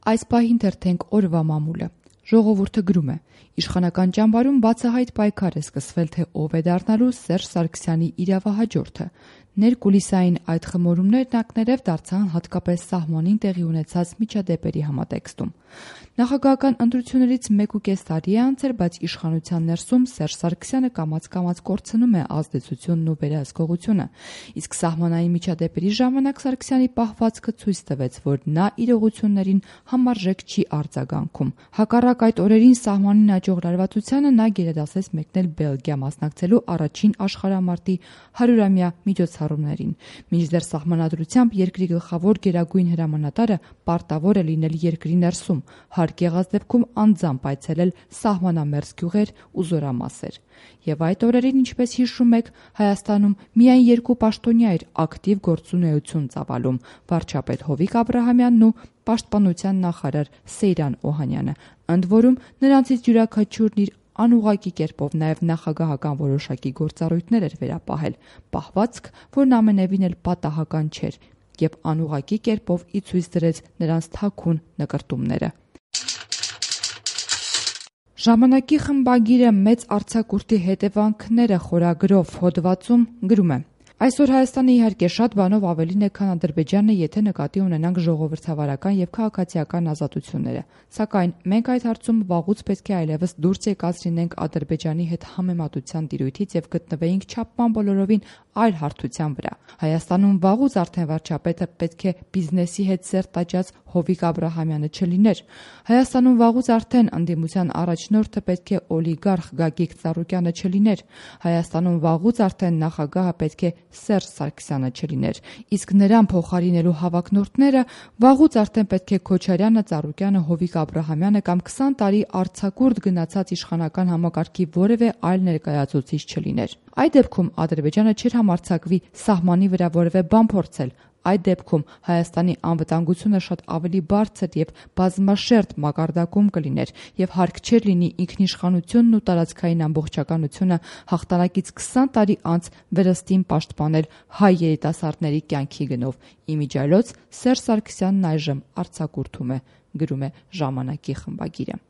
Այս պահին թերթենք օրվա մամուլը։ Ժողովուրդը գրում է. Իշխանական ճամբարում բացահայտ պայքար է սկսվել, թե ով է դառնալու Սերժ Սարգսյանի իրավահաջորդը։ Ներկուլիսային այդ խմորումներն ակներև դարձան հատկապես սահմանին տեղի ունեցած միջադեպերի համատեքստում։ Նախագահական ընտրություններից 1.5 տարի է անցել, բայց իշխանության ներսում Սերժ Սարգսյանը կամաց-կամաց կորցնում է ազդեցությունն ու վերահսկողությունը։ Իսկ սահմանային միջադեպերի ժամանակ Սարգսյանի պահվածքը ցույց տվեց, որ նա իրողություններին համարժեք չի արձագանքում։ Հակառակ այդ օրերին սահմանին աճող լարվածությանը նա գերադասեց մեկնել Բելգիա մասնակցելու առաջին աշխարհամարտի 100-ամյա միջոցառումներին։ Մինչդեռ սահմանադրությամբ երկրի գլխավոր գերագույն հրամանատարը պարտավոր է լինել երկրի ներսում, հարկ եղած դեպքում անձամբ այցելել սահմանամերձ գյուղեր ու զորամասեր։ Եվ այդ օրերին, ինչպես հիշում եք, Հայաստանում միայն 2 պաշտոնյա էր ակտիվ գործունեություն ծավալում՝ վարչապետ Հովիկ Աբրահամյանն ու պաշտպանության նախարար Սեյրան Օհանյանը, ընդ որում նրանցից յուրաքանչյուրն իր անուղղակի կերպով նաև նախագահական որոշակի գործառույթներ էր վերապահել, պահվածք, որն ամենևին էլ պատահական չէր, եւ անուղղակի կերպով ի ցույց դրեց նրանց թաքուն նկրտումները։ Ժամանակի խմբագիրը մեծ արձակուրդի հետևանքները խորագրով հոդվածում գրում է. Այսօր Հայաստանը իհարկե շատ բանով ավելին է, քան Ադրբեջանը, եթե նկատի ունենանք ժողովրդավարական եւ քաղաքացիական ազատությունները։ Սակայն մենք այդ հարցում վաղուց պետք է այլևս դուրս եկած լինենք Ադրբեջանի հետ համեմատության տիրույթից եւ գտնվեինք չափման բոլորովին այլ հարթության վրա։ Հայաստանում վաղուց արդեն վարչապետը պետք է բիզնեսի հետ սերտ աճած Հովիկ Աբրահամյանը չլիներ։ Հայաստանում վաղուց արդեն ընդդիմության առաջնորդը պետք է օլիգարխ Գագիկ Ծառուկյանը չլիներ։ Հայաստանում վաղուց արդեն նախագահը պետք է Սերժ Սարգսյանը չլիներ, իսկ նրան փոխարինելու հավակնորդները վաղուց արդեն պետք է Քոչարյանը, Ծառուկյանը, Հովիկ Աբրահամյանը կամ 20 տարի արձակուրդ գնացած իշխանական համակարգի որևէ այլ ներկայացուցիչ չլիներ։ Այդ դեպքում Ադրբեջանը չէր համարձակվի սահմանի վրա որևէ բան փորձել։ Այդ դեպքում Հայաստանի անվտանգությունը շատ ավելի բարձր եւ բազմաշերտ մակարդակում կլիներ եւ հարկ չէր լինի ինքնիշխանությունն ու տարածքային ամբողջականությունը հաղթանակից 20 տարի անց վերստին պաշտպանել հայ երիտասարդների կյանքի գնով։ Իմիջիայլոց Սերժ Սարգսյանն այժմ արձակուրդում է, գրում է Ժամանակի խմբագիրը։